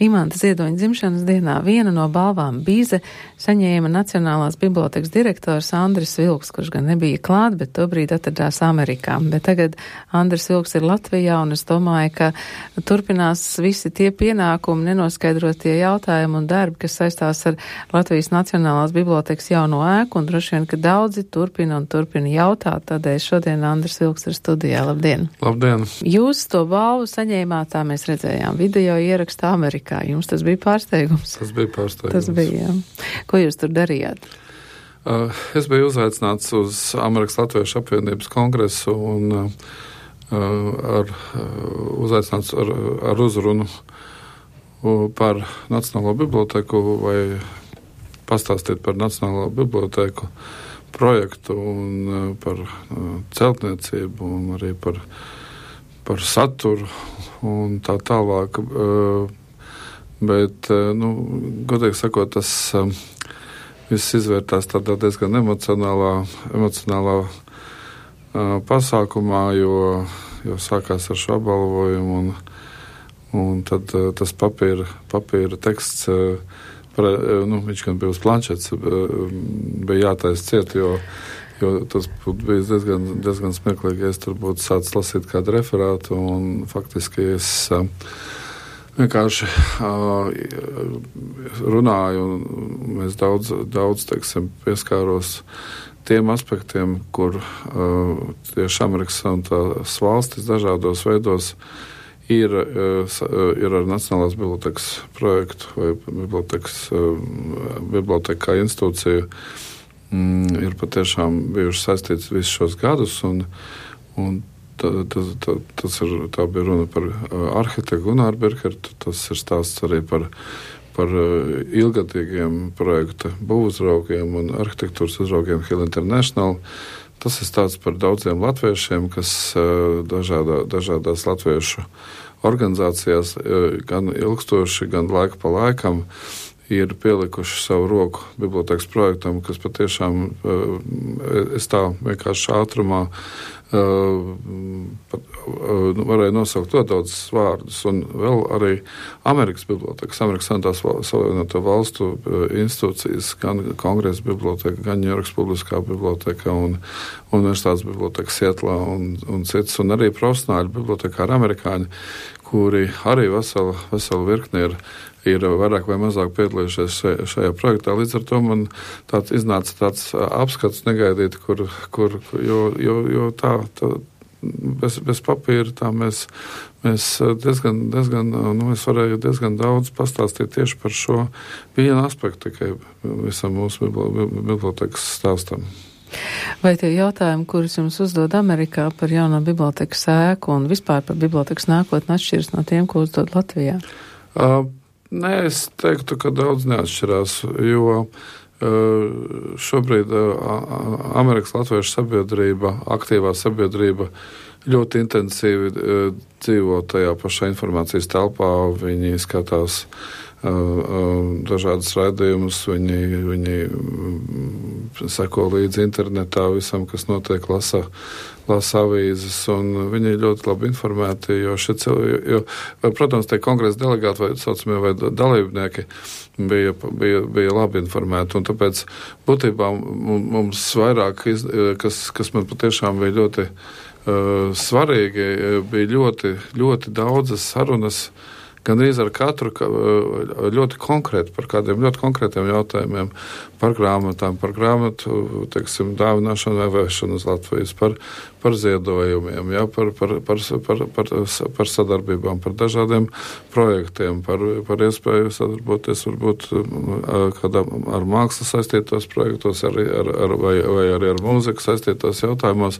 Imanta Ziedoņa dzimšanas dienā vienu no balvām Bīze saņēma Nacionālās bibliotēkas direktors Andris Vilks, kurš gan nebija klāt, bet tobrīd atradās Amerikā. Bet tagad Andris Vilks ir Latvijā, un es domāju, ka turpinās visi tie pienākumi, nenoskaidrotie jautājumi un darbi, kas saistās ar Latvijas Nacionālās bibliotēkas jauno ēku, un droši vien, ka daudzi turpina jautāt, tādēļ šodien Andris Vilks ir studijā. Labdien! Labdien! Jūs to balvu saņēmāt, tā mēs redzējām, video ierakstā Amerikā. Jums tas bija pārsteigums? Tas bija pārsteigums. Tas bija, jā. Ko jūs tur darījāt? Es biju uzaicināts uz Amerikas Latviešu apvienības kongresu un uzaicināts ar uzrunu par Nacionālo bibliotēku vai pastāstīt par Nacionālo bibliotēku projektu un par celtniecību un arī par saturu un tā tālāk. Bet, godīgi sakot, tas viss izvērtās tādā diezgan emocionālā pasākumā, jo sākās ar šo apbalvojumu, un tad tas papīra teksts, viņš gan bija uz planšetes, bija jātaisa ciet, jo tas būtu bijis diezgan smieklīgi, ja es tur būtu sācis lasīt kādu referātu, un faktiski es vienkārši runāju, un mēs daudz teiksim, pieskāros tiem aspektiem, kur tieši Amerikas un tās valstis dažādos veidos ir ar Nacionālās bibliotēkas projektu vai bibliotēka kā institūciju ir patiešām bijuši saistīts visus šos gadus, un tā bija runa par arhitektu Gunāru Birkertu, tas ir stāsts arī par ilgadīgiem projekta būvuzraugiem un arhitektūras uzraugiem Hill International. Tas ir stāsts par daudziem latviešiem, kas dažādās latviešu organizācijās gan ilgstoši, gan laika pa laikam ir pielikuši savu roku bibliotēkas projektam, kas patiešām es tā vienkārši ātrumā varēja nosaukt to daudzus vārdus, un vēl arī Amerikas bibliotēkas, Amerikas Savienoto valstu institūcijas, gan Kongresa biblioteka, gan Ņujorkas publiskā biblioteka un Universitātes biblioteka Sietlā un citas, un arī profesionāļu bibliotekāri amerikāņi, kuri arī veselu virkni ir vairāk vai mazāk piedalījušies šajā projektā. Līdz ar to man iznāca tāds apskats negaidīt, jo tā bez papīra tā mēs mēs varēju diezgan daudz pastāstīt tieši par šo vienu aspektu tikai visam mūsu bibliotēkas stāstam. Vai tie jautājumi, kurus jums uzdod Amerikā par jauno bibliotēkas ēku un vispār par bibliotēkas nākotni atšķiras no tiem, ko uzdod Latvijā? Nē, es teiktu, ka daudz neatšķirās, jo šobrīd Amerikas Latviešu sabiedrība, aktīvā sabiedrība ļoti intensīvi dzīvo tajā pašā informācijas telpā, viņi skatās dažādas raidījumus, viņi seko līdzi internetā visam, kas notiek, lasa avīzes, un viņi ir ļoti labi informēti, jo protams, tie kongresa delegāti vai saucamie vai dalībnieki bija labi informēti, un tāpēc būtībā mums vairāk, kas man patiešām bija ļoti svarīgi, bija ļoti, ļoti daudzas sarunas, gandrīz ar katru ļoti konkrēti, par kādiem ļoti konkrētiem jautājumiem, par grāmatām, par grāmatu, teiksim, dāvināšanu vai vēšanu uz Latvijas, par ziedojumiem, ja, par sadarbībām, par dažādiem projektiem, par iespēju sadarboties varbūt ar mākslu saistītos projektos vai arī ar mūziku saistītos jautājumos.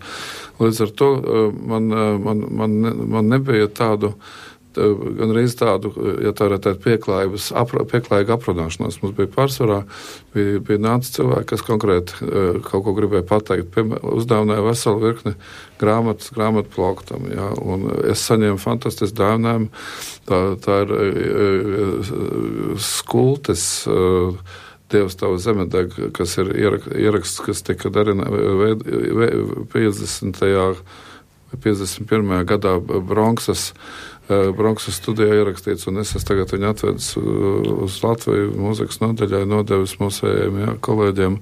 Līdz ar to man nebija tādu gandrīz tādu, ja tā varētu teikt, pieklājīgu aprunāšanos. Mums bija pārsvarā, bija nācis cilvēki, kas konkrēti kaut ko gribēja pateikt. Uzdāvināja veselu virkni grāmatu plauktam, ja, un es saņēmu fantastisku dāvinājumu. Tā ir skultes Dievs tavu zemedeg, kas ir ieraksts, kas tika darīts 51. gadā Bronksas Bronxas studijā ierakstīts, un es tagad viņu atvedis uz Latviju mūzikas nodaļai, nodevis mūsējiem kolēģiem.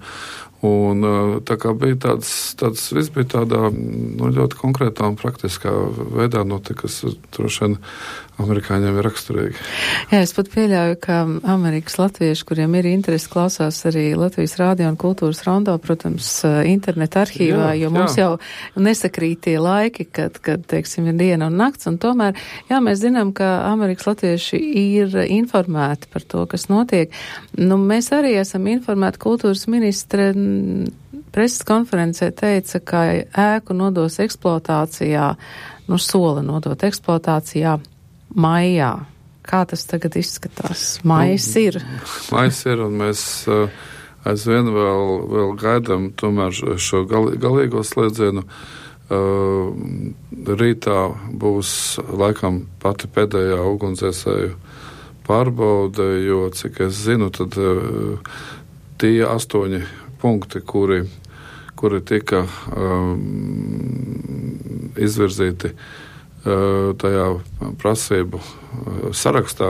Un tā kā bija tāds viss bija tādā ļoti konkrētā un praktiskā veidā notika, kas droši vien amerikāņiem ir raksturīgi. Jā, es pat pieļauju, ka Amerikas latvieši, kuriem ir interesi, klausās arī Latvijas Rādio un Kultūras Rondo, protams, interneta arhīvā, jo mums jau nesakrīt tie laiki, kad, teiksim, ir diena un nakts, un tomēr, jā, mēs zinām, ka Amerikas latvieši ir informēti par to, kas notiek. Nu, mēs arī esam informēti. Kultūras ministre preses konferencē teica, ka ēku nodos eksploatācijā, sola nodot eksploatācijā maijā. Kā tas tagad izskatās? Maijs ir. Maijs ir, un mēs aizvien vēl gaidām tomēr šo galīgo slēdzienu. Rītā būs laikam pati pēdējā ugunsdzēsēju pārbaude, jo, cik es zinu, tad tie 8 punkti, kuri tika izvirzīti tajā prasību sarakstā,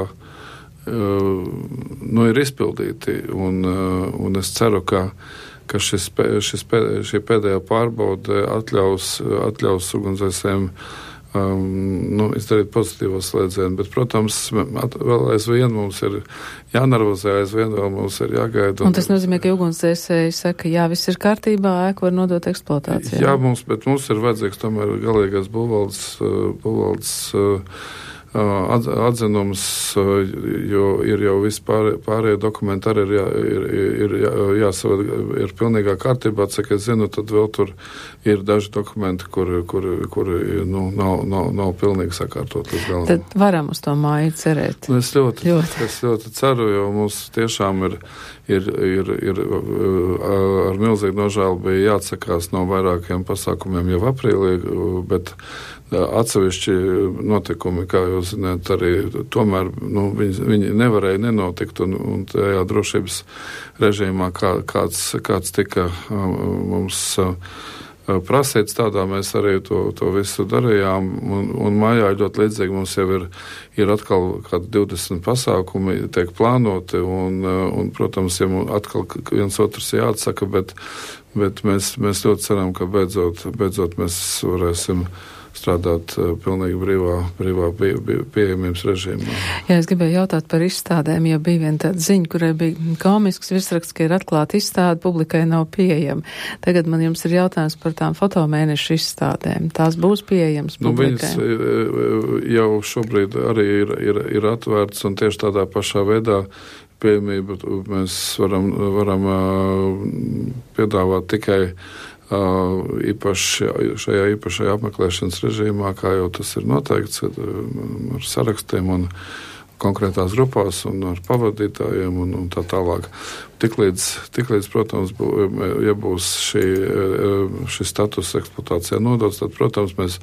ir izpildīti. Un es ceru, ka šī pēdējā pārbaude atļaus ugunsdzēsējiem izdarīt pozitīvo slēdzienu, bet, protams, vēl aizvien mums ir jānervozē, aizvien vēl mums ir jāgaida. Un tas nozīmē, ka ugunsdzēsēji saka, jā, viss ir kārtībā, ēku var nodot eksploatācijā. Jā, bet mums ir vajadzīgs tomēr galīgais būvvaldes atzinums, jo ir jau vispārējie dokumenti arī ir pilnīgā kārtībā, cik es zinu, tad vēl tur ir daži dokumenti, kuri nav pilnīgi sakārtot līdz galam. Tad varam uz to māju cerēt. Es ļoti ceru, jo mums tiešām ir ar milzīgu nožēlu bija jāatsakās no vairākiem pasākumiem jau aprīlī, bet atsevišķi notikumi, kā jūs zināt, arī tomēr viņi nevarēja nenotikt, un tajā drošības režīmā, kāds tika mums prasīts, tādā mēs arī to visu darījām, un mājā ļoti līdzīgi mums jau ir atkal kādi 20 pasākumi tiek plānoti, un protams, ja mums atkal viens otrs jāatsaka, bet mēs ļoti ceram, ka beidzot mēs varēsim strādāt pilnīgi brīvā pieejamības režīmā. Jā, es gribēju jautāt par izstādēm, jo bija viena tāda ziņa, kurai bija komisks virsraksts, ka ir atklāta izstāde, publikai nav pieejama. Tagad man jums ir jautājums par tām fotomēnešu izstādēm. Tās būs pieejamas publikai? Viņas jau šobrīd arī ir atvērts, un tieši tādā pašā veidā pieejamību mēs varam piedāvāt tikai šajā īpašajā apmeklēšanas režīmā, kā jau tas ir noteikts, ar sarakstiem un konkrētās grupās un ar pavadītājiem un tā tālāk. Tiklīdz, protams, ja būs šis status eksploatācijā nodots, tad, protams, mēs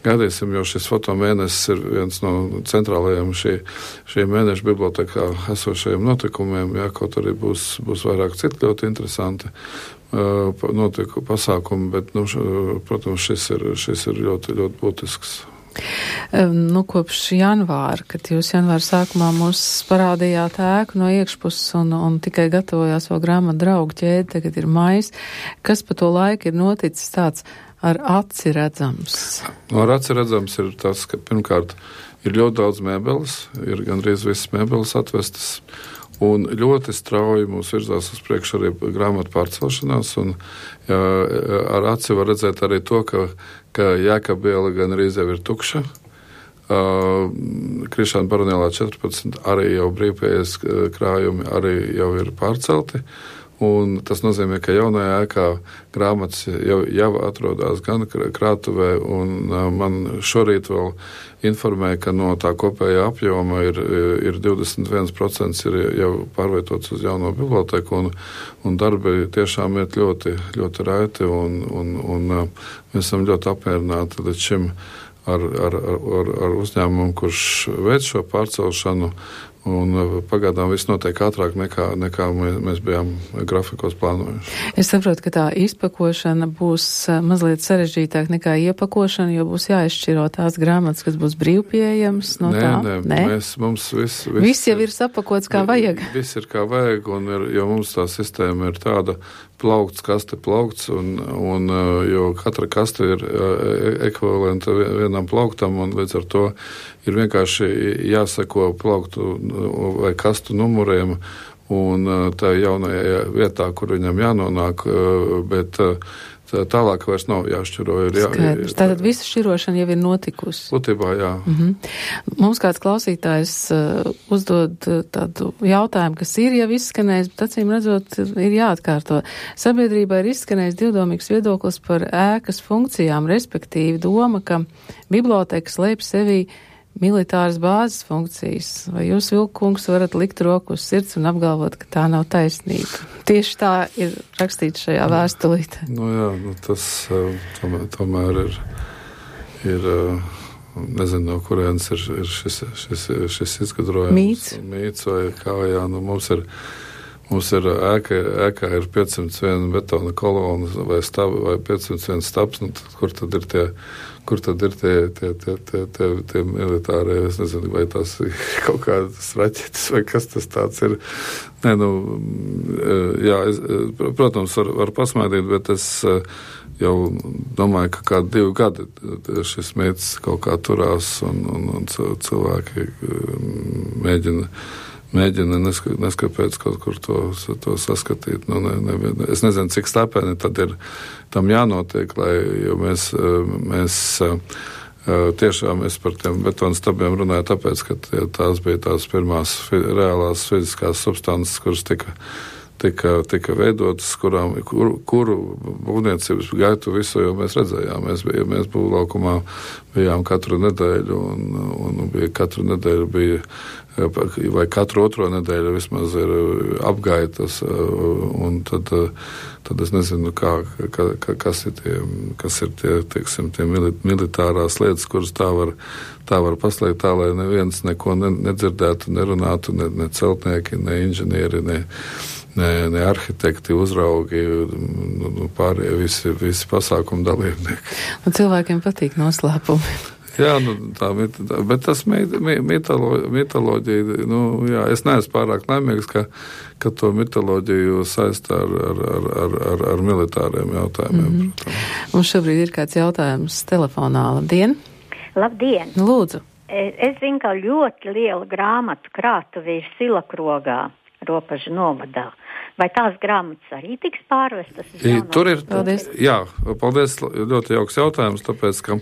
gaidīsim, jo šis fotomēnesis ir viens no centrālajiem šī mēneša bibliotekā esošajiem notikumiem, kaut arī būs vairāk citu ļoti interesanti pasākumi, bet, protams, šis ir ļoti, ļoti būtisks. Kopš janvāra, kad jūs janvāra sākumā mums parādījāt ēku no iekšpuses un tikai gatavojās vēl grāmatu draugu ķēdi, tagad ir maijs. Kas pa to laiku ir noticis tāds ar aci redzams? Ar aci redzams ir tas, ka pirmkārt ir ļoti daudz mēbeles, ir gandrīz visas mēbeles atvestas, un ļoti strauji mums virzās uz priekšu arī grāmatu pārcelšanās, un ar aci var redzēt arī to, ka Jēkaba iela gan arī jau ir tukša. Krišāna Baronielā 14 arī jau brīvpieejas krājumi arī jau ir pārcelti, un tas nozīmē, ka jaunajā ēkā grāmatas jau atrodas gan krātuvē, un man šorīt vēl informēja, ka no tā kopējā apjoma ir 21% ir jau pārvietots uz jauno biblioteku, un darbi tiešām iet ļoti, ļoti raiti, un mēs esam ļoti apmierināti līdz šim ar uzņēmumu, kurš veic šo pārcelšanu, Un pagaidām viss notiek ātrāk nekā mēs bijām grafikos plānojuši. Es saprotu, ka tā izpakošana būs mazliet sarežģītāk nekā iepakošana, jo būs jāizšķiro tās grāmatas, kas būs brīvpieejamas no tām. Nē, mums viss jau ir sapakots kā vajag. Viss ir kā vajag, jo mums tā sistēma ir tāda plaukts, kaste plaukts, un jo katra kaste ir ekvivalenta vienam plauktam, un līdz ar to ir vienkārši jāseko plauktu vai kastu numuriem, un tā jaunajā vietā, kur viņam jānonāk, bet tālāk vairs nav jāšķiro. Skaidrs. Tātad visa šķirošana jau ir notikusi. Būtībā, jā. Mums kāds klausītājs uzdod tādu jautājumu, kas ir jau izskanējis, bet acīm redzot ir jāatkārto. Sabiedrībā ir izskanējis divdomīgs viedoklis par ēkas funkcijām, respektīvi doma, ka biblioteka slēp sevī militāras bāzes funkcijas. Vai jūs, Vilkungs, varat likt roku uz sirds un apgalvot, ka tā nav taisnība? Tieši tā ir rakstīts šajā vēstulītē. Tas tomēr ir nezinu, no kurienes ir šis izgudrojums. Mīts vai kā, jā, mums ir ēkā ir 501 betona kolona vai 501 stabs, kur tad ir tie militārie, es nezinu, vai tās ir kaut kādas raķetes, vai kas tas tāds ir. Protams, var pasmaidīt, bet es jau domāju, ka kādi 2 gadi šis mīts kaut kā turās, un cilvēki mēģina neskapēc kaut kur to saskatīt. Es nezinu, cik slepeni tad ir tam jānotiek, jo mēs tiešām par tiem betonu stabiem runāju tāpēc, ka tās bija tās pirmās reālās fiziskās substances, kuras tika veidotas, kuru būvniecības gaitu visu jau mēs redzējām. Mēs būvlaukumā bijām katru nedēļu, un katru nedēļu bija, vai katru otro nedēļu vismaz ir apgaitas, un tad es nezinu, kas ir tie, teiksim, tie militārās lietas, kuras tā var paslēgt tā, lai neviens neko nedzirdētu, nerunātu, ne celtnieki, ne inženieri, ne arhitekti, uzraugi, pārējie visi pasākumu dalībnieki. Un cilvēkiem patīk noslēpumi. Jā, bet tas mitoloģija, es neesmu pārāk laimīgs, ka to mitoloģiju saistā ar militāriem jautājumiem. Mums šobrīd ir kāds jautājums telefonā. Labdien! Labdien! Lūdzu! Es zinu, ka ļoti liela grāmatu krātuve ir Silakrogā, Ropažu novadā. Vai tās grāmatas arī tiks pārvestas? Tur ir, paldies. Jā, paldies, ļoti jauks jautājums, tāpēc, ka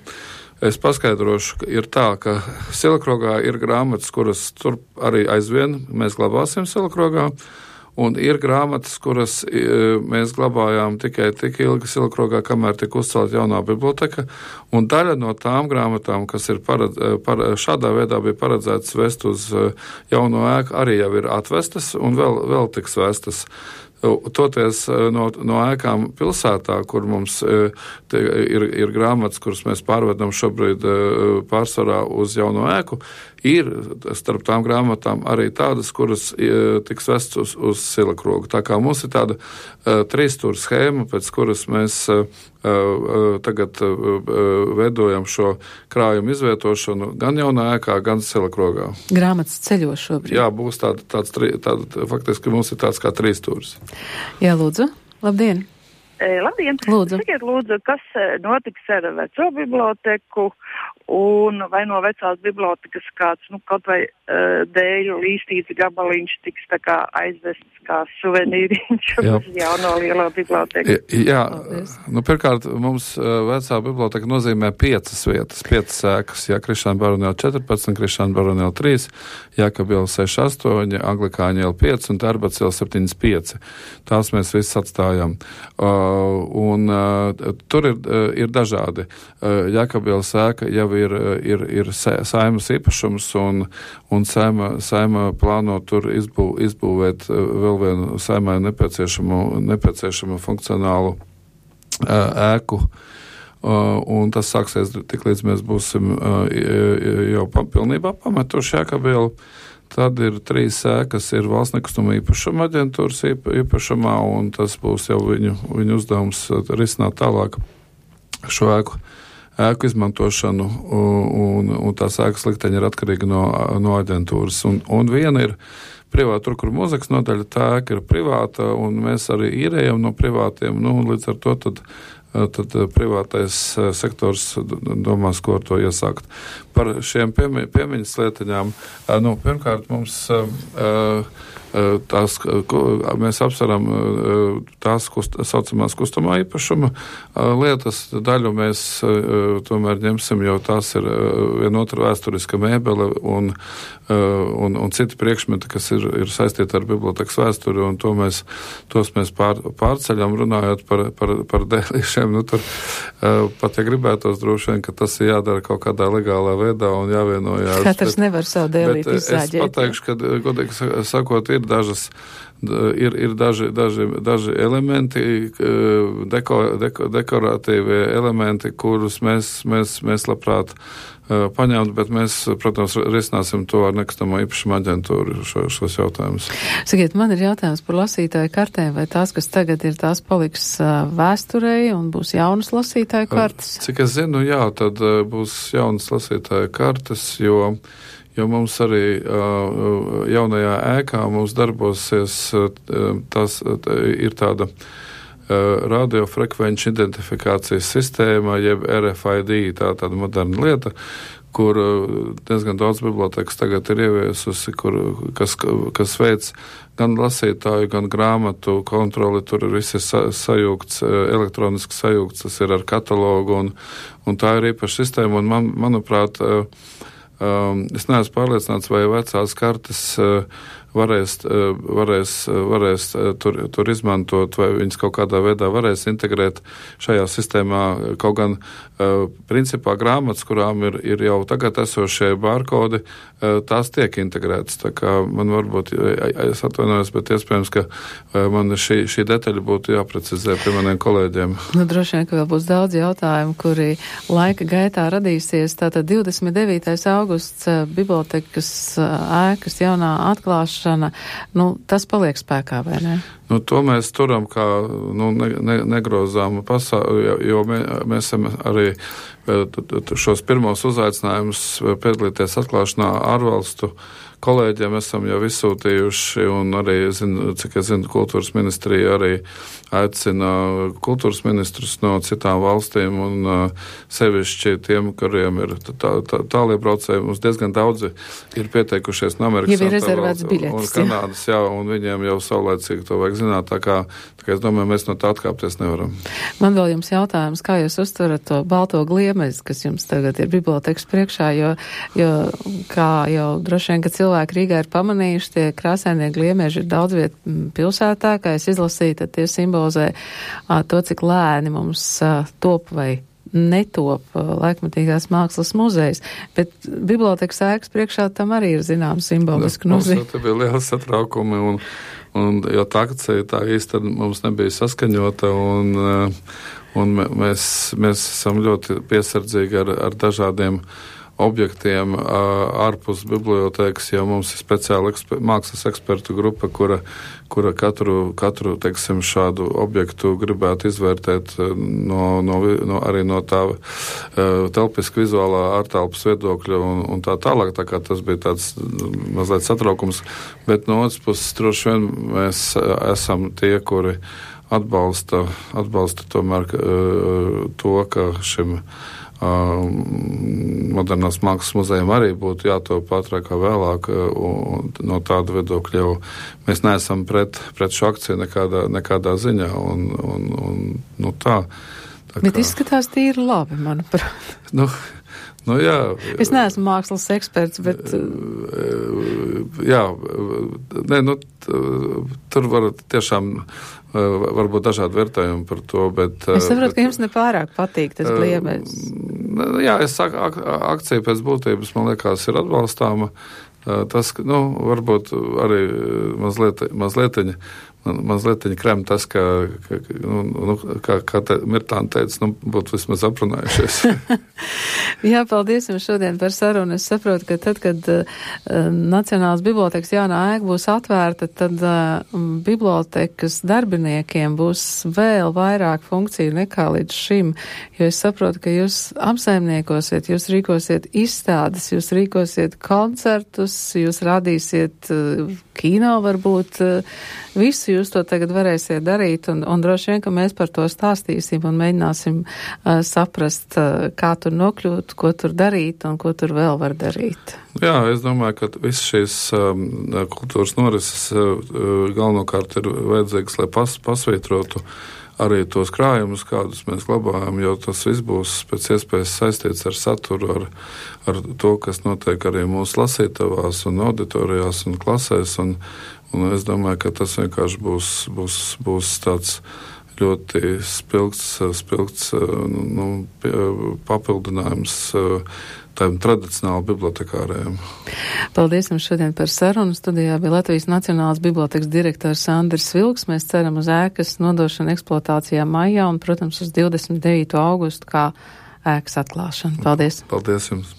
es paskaidrošu, ir tā, ka Silakrogā ir grāmatas, kuras tur arī aizvien mēs glabāsim Silakrogā, un ir grāmatas, kuras mēs glabājām tikai tik ilgi Silakrogā, kamēr tika uzcelta jaunā biblioteka, un daļa no tām grāmatām, kas ir šādā veidā bija paredzētas vest uz jauno ēku, arī jau ir atvestas un vēl tiks vestas. Toties no ēkām pilsētā, kur mums ir grāmatas, kuras mēs pārvedam šobrīd pārsvarā uz jauno ēku, ir starp tām grāmatām arī tādas, kuras tiks vestas uz Silakrogu. Tā kā mums ir tāda 3-stūra schēma, pēc kuras mēs tagad veidojam šo krājumu izvietošanu gan jaunā ēkā, gan Silakrogā. Grāmatas ceļo šobrīd. Jā, būs tāds faktiski mums ir tāds kā 3-stūris. Jā, lūdzu. Labdien! Labdien! Lūdzu. Sakiet, lūdzu, kas notiks ar veco biblioteku un vai no vecās bibliotekas kāds, kaut vai dēļu līstīts gabaliņš tiks tā kā aizvests kā suvenīriņš uz jauno lielo biblioteku. Jā, pirmkārt, mums vecā biblioteka nozīmē 5 vietas, 5 ēkas, Krišāna Baronēla 14, Krišāna Baronēla 3, Jākabiela 6-8, Anglikāņa iela 5 un Tērbats iela 7-5. Tās mēs visas atstājam. Un tur ir dažādi. Jākabielas ēka jau ir Saeimas īpašums, un Saeima plāno tur izbūvēt vēl vienu Saeimai nepieciešamu funkcionālu ēku. Un tas sāksies tik līdz mēs būsim jau pilnībā pametuši Jākabielu. Tad ir 3 ēkas, ir valsts nekustamo īpašumu aģentūras īpašumā, un tas būs jau viņu uzdevums risināt tālāk šo ēku izmantošanu, un tās ēkas likteņi ir atkarīgi no aģentūras. Un viena ir privāta, tur, kur mūzikas nodaļa, tā ēka ir privāta, un mēs arī īrējam no privātiem, un līdz ar to tad privātais sektors domās, ko ar to iesākt. Par šiem piemiņas lietiņām, pirmkārt mums mēs apsveram tās saucamās kustamā īpašuma lietas. Daļu mēs tomēr ņemsim, jo tās ir vienotra vēsturiska mēbele un citi priekšmeti, kas ir saistīti ar bibliotekas vēsturi, un tos mēs pārceļam, runājot par dēlīšiem. Tur pat, ja gribētos droši vien, ka tas ir jādara kaut kādā legālā veidā un jāvienojās. Katrs nevar savu dēlīt izsāģēt. Es pateikšu, ka, godīgi sakot, ir daži elementi, dekoratīvie elementi, kurus mēs labprāt paņemt, bet mēs, protams, risināsim to ar nekustamo īpašumu aģentūru šos jautājumus. Sakiet, man ir jautājums par lasītāju kartēm, vai tās, kas tagad ir, tās paliks vēsturei un būs jaunas lasītāju kartes? Cik es zinu, jā, tad būs jaunas lasītāju kartes, jo mums arī jaunajā ēkā mums darbosies, ir tāda radiofrekvenču identifikācijas sistēma, jeb RFID, tāda moderna lieta, kur diezgan daudz bibliotekas tagad ir ieviesusi, kas veic gan lasītāju, gan grāmatu kontroli, tur viss ir sajūgts, elektroniski sajūgts, tas ir ar katalogu, un tā ir īpaša sistēma, un manuprāt, es neesmu pārliecināts, vai vecās kartes varēs tur izmantot, vai viņas kaut kādā veidā varēs integrēt šajā sistēmā. Kaut gan principā grāmatas, kurām ir jau tagad esošie barkodi, tās tiek integrētas. Tā kā man varbūt, es atvainojos, bet iespējams, ka man šī detaļa būtu jāprecizē pie maniem kolēģiem. Droši vien, ka vēl būs daudz jautājumu, kuri laika gaitā radīsies. Tātad 29. augusts bibliotekas ēkas jaunā atklāšana, tas paliek spēkā, vai ne? To mēs turam kā negrozāmu jo mēs esam arī šos pirmos uzaicinājumus piedalīties atklāšanā ārvalstu kolēģiem esam jau izsūtījuši, un arī, cik es zinu, kultūras ministrija arī aicina kultūras ministrus no citām valstīm, un sevišķi tiem, kuriem ir tālie braucēji, mums diezgan daudzi ir pieteikušies no Amerikas jau ir rezervēts biļetes, un Kanādas, jā, un viņiem jau saulēcīgi to vajag zināt, tā kā es domāju, mēs no tā atkāpties nevaram. Man vēl jums jautājums, kā jūs uztverat to balto gliemezi, kas jums tagad ir bibliotekas priekšā, jo kā jau droši vien, ka cilvēki Rīgā ir pamanījuši, tie krāsainie gliemeži ir daudz viet pilsētā, kā es izlasīju, tad tie simbolizē to, cik lēni mums top vai netop laikmatīgās mākslas muzejs, bet bibliotekas ēkas priekšā tam arī ir zināms simbolisku nozīme. Mums bija liels satraukumi, un jo tā akcija tā īsti mums nebija saskaņota, un mēs esam ļoti piesardzīgi ar dažādiem objektiem ārpus bibliotēkas, jo mums ir speciāla mākslas ekspertu grupa, kura katru teiksim, šādu objektu gribētu izvērtēt arī no tā telpiska vizuālā ārtelpas viedokļa un tā tālāk, tā kā tas bija tāds mazliet satraukums, bet no otras puses droši vien mēs esam tie, kuri atbalsta tomēr to, ka šim modernās mākslas muzejiem arī būtu jātop ātrāk kā vēlāk, un no tāda viedokļa jau mēs neesam pret šo akciju nekādā ziņā, un tā. Bet izskatās tīri labi, manuprāt. Jā. Es neesmu mākslas eksperts, bet... Jā, tur var tiešām varbūt dažādi vērtējumi par to, bet... Es saprotu, ka jums nepārāk patīk tas gliemezis. Jā, es saku, akcija pēc būtības, man liekas, ir atbalstāma. Tas, varbūt arī mazlietiņa mazliet krem tas, kā Mirtāna teica, būtu vismaz aprunājušies. Jā, paldies jums šodien par sarunu. Es saprotu, ka tad, kad Nacionālās bibliotēkas jaunā ēka būs atvērta, tad bibliotekas darbiniekiem būs vēl vairāk funkciju nekā līdz šim, jo es saprotu, ka jūs apsaimniekosiet, jūs rīkosiet izstādes, jūs rīkosiet koncertus, jūs radīsiet kino varbūt, visu jūs to tagad varēsiet darīt, un droši vien, ka mēs par to stāstīsim un mēģināsim saprast, kā tur nokļūt, ko tur darīt un ko tur vēl var darīt. Jā, es domāju, ka visas šīs kultūras norises galvenokārt ir vajadzīgas, lai pasvītrotu arī tos krājumus, kādus mēs glabājam, jo tas viss būs pēc iespējas saistīts ar saturu, ar to, kas notiek arī mūsu lasītavās un auditorijās un klasēs, un es domāju, ka tas vienkārši būs tāds ļoti spilgts papildinājums tādiem tradicionāli bibliotekāriem. Paldies jums šodien par sarunu. Studijā bija Latvijas Nacionālās bibliotekas direktors Andris Vilks. Mēs ceram uz ēkas nodošanu eksploatācijā maijā un, protams, uz 29. augustu kā ēkas atklāšanu. Paldies! Paldies jums!